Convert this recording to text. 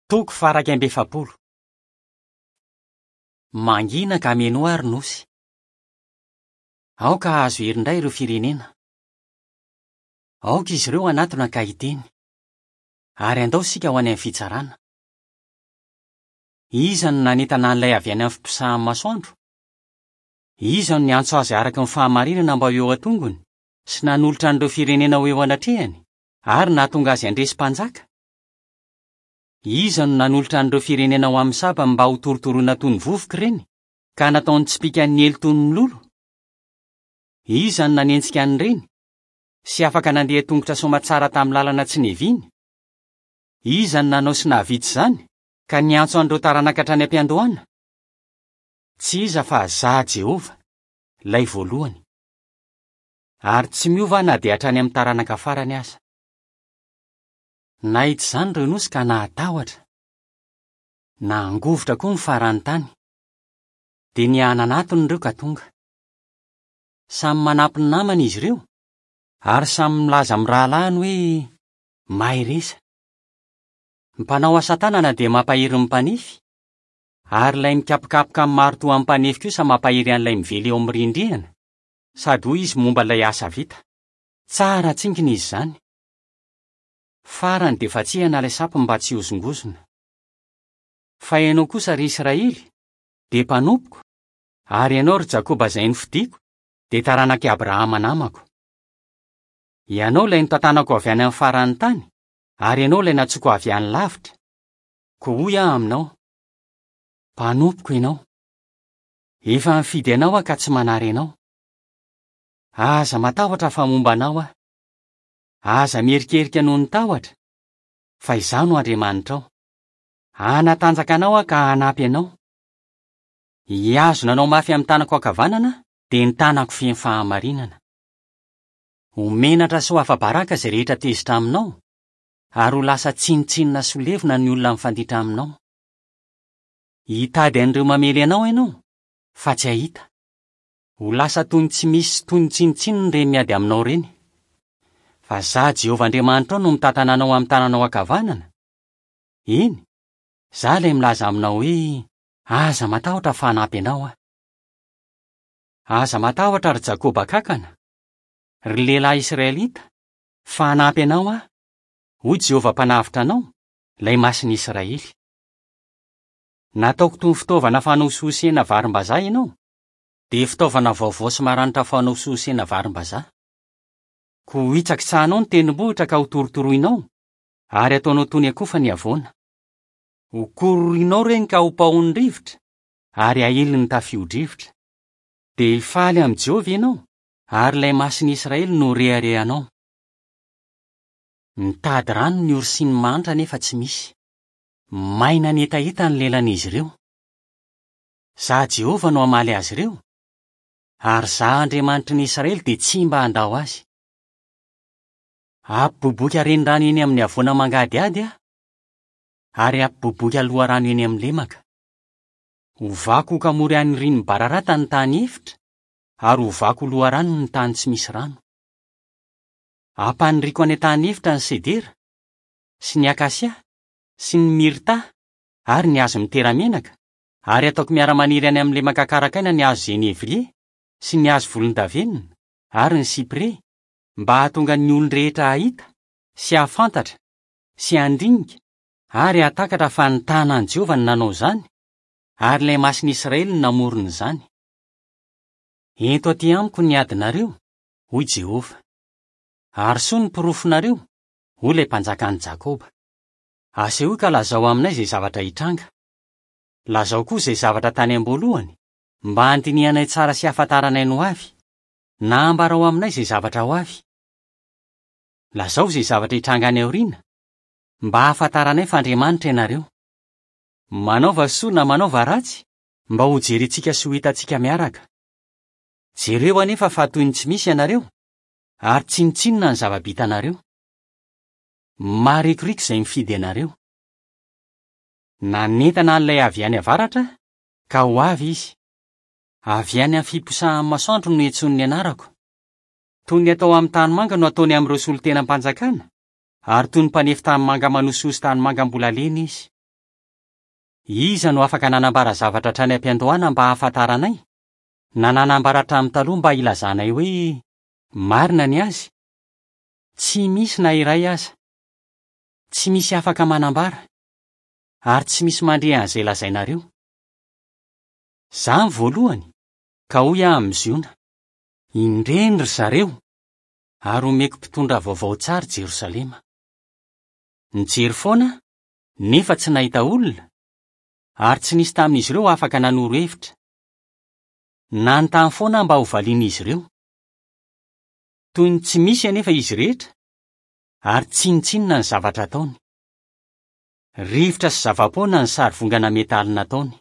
Toko faha-41. Mangina ka menoa ry nosy. Aoka hahazo hery indray ireo firenena. Aoka izy ireo hanatona ka hiteny. Ary andao isika ho any amin'ny fitsarana. Iza no nanentana an'ilay avy any amin'ny fiposahan'ny masoandro? Iza no niantso azy araka ny fahamarinana mba ho eo an-tongony, sy nanolotra an'ireo firenena ho eo anatrehany, ary nahatonga azy handresy mpanjaka? Iza no nanolotra an'ireo firenena ho amin'ny sabany mba hotorotoroina toy ny vovoka ireny, ka nataony tsipìka niely toy ny mololo? Iza no nanenjika an'ireny, sy afaka nandeha tongotra soamatsara tamin'ny lalana tsy niaviany? Iza no nanao sy nahavita izany, ka niantso an'ireo taranaka hatrany am-piandohana? Tsy iza fa Izaho Jehovah, ilay voalohany. Ary tsy miova aho na dia hatrany amin'ny taranaka farany aza. Nahita izany ireo nosy ka nahatahotra. Nangovitra koa ny faran'ny tany. Dia nihananatona ireo ka tonga. Samy manampy ny namany izy ireo, ary samy milaza amin'ny rahalahiny hoe, Mahereza. Ny mpanao asa tanana dia mampahery ny mpanefy, ary ilay mikapokapoka amin'ny maritoa amin'ny mpanefy kosa mampahery an'ilay mively eo amin'ny rindrihana, sady hoy izy momba ilay asa vita, Tsara tsinkina izy izany. Farany dia vatsihana ilay sampy mba tsy hihozongozona. Fa ianao kosa, ry Israely, dia mpanompoko, ary ianao, ry Jakoba izay nofidiko, dia taranak'i Abrahama namako. Ianao ilay notantanako avy any amin'ny faran'ny tany, ary ianao ilay nantsoiko avy any lavitra. Koa hoy aho aminao, Mpanompoko ianao. Efa nifidy anao aho ka tsy manary anao. Aza matahotra fa momba anao aho. Aza miherikerika noho ny tahotra, fa Izaho no Andriamanitrao. Hanatanjaka anao Aho ka hanampy anao. Hihazona anao mafy amin'ny tanako ankavanana Aho, dia ny tanako feno fahamarinana. Ho menatra sy ho afa-baraka izay rehetra tezitra aminao, ary ho lasa tsinontsinona sy ho levona ny olona mifanditra aminao. Hitady an'ireo mamely anao ianao, fa tsy hahita. Ho lasa toy ny tsy misy sy toy ny tsinontsinona ireny miady aminao ireny. Fa Izaho Jehovah Andriamanitrao no mitantana anao amin'ny tananao ankavanana. Eny, Izaho ilay milaza aminao hoe, 'Aza matahotra fa hanampy anao Aho. Aza matahotra, ry Jakoba kankana, ry lehilahy israelita, fa hanampy anao Aho, hoy Jehovah Mpanavotra anao, ilay Masin'ny Israely. Nataoko toy ny fitaovana fanosihosena varimbazaha ianao, dia fitaovana vaovao sy maranitra fanosihosena varimbazaha. Koa hohitsakitsahanao ny tendrombohitra ka hotorotoroinao, ary hataonao toy ny akofa ny havoana. Hokororoinao ireny ka hopaohin'ny rivotra, ary hahilin'ny tafio-drivotra. Dia hifaly amin'i Jehovah ianao, ary ilay Masin'ny Israely no ho reharehanao. Mitady rano ny ory sy ny mahantra nefa tsy misy. Maina ny hetaheta ny lelan'izy ireo. Izaho Jehovah no hamaly azy ireo, ary Izaho Andriamanitry ny Israely dia tsy mba handao azy. Hampiboiboika renirano eny amin'ny havoana mangadihady Aho, ary hampiboiboika loharano eny amin'ny lemaka. Hovako ho kamory anirian'ny bararata ny tany efitra, ary hovako ho loharano ny tany tsy misy rano. Hampaniriako any an-tany efitra ny sedera, sy ny akasia, sy ny mirta, ary ny hazo mitera-menaka, ary hataoko miara-maniry any amin'ny lemaka karakaina ny hazo zenevrie, sy ny hazo volondavenona, ary ny sipre, mba hahatonga ny olon-drehetra hahita, sy hahafantatra, sy handinika, ary hahatakatra fa ny tanan'i Jehovah no nanao izany, ary ilay Masin'i Israely no namorona izany. Ento atỳ amiko ny adinareo, hoy Jehovah. Arosoy ny porofonareo, hoy ilay Mpanjakan'i Jakoba. Asehoy ka lazao aminay izay zavatra hitranga. Lazao koa izay zavatra tany am-boalohany, mba handinihanay tsara sy hahafantaranay ny hoavy, na ambarao aminay izay zavatra ho avy. Lazao izay zavatra hitranga any aoriana, mba hahafantaranay fa Andriamanitra ianareo. Manaova soa na manaova ratsy, mba hojerentsika sy ho hitantsika miaraka. Jereo anefa fa toy ny tsy misy ianareo, ary tsinontsinona ny zava-bitanareo. Marikoriko izay mifidy anareo. Nanentana an'ilay avy any avaratra aho, ka ho avy izy. Avy any amin'ny fiposahan'ny masoandro no iantsoany ny anarako. Toy ny atao amin'ny tanimanga no ataony amin'ireo solontenam-panjakana, ary toy ny mpanefy tanimanga manosihosy tanimanga mbola lena izy. Iza no afaka nanambara zavatra hatrany am-piandohana mba hahafantaranay, na nanambara hatramin'ny taloha mba hilazanay hoe, 'Marina ny azy'? Tsy misy na iray aza. Tsy misy afaka manambara, ary tsy misy mandre an'izay lazainareo. Izaho no voalohany, ka hoy aho amin'i Ziona, Indreny ry zareo, ary homeko mpitondra vaovao tsara i Jerosalema. Nijery foana aho, nefa tsy nahita olona, ary tsy nisy tamin'izy ireo afaka nanoro hevitra. Nanontany foana aho mba hovalian'izy ireo. Toy ny tsy misy anefa izy rehetra, ary tsinontsinona ny zavatra ataony. Rivotra sy zava-poana ny sarivongana metaly nataony.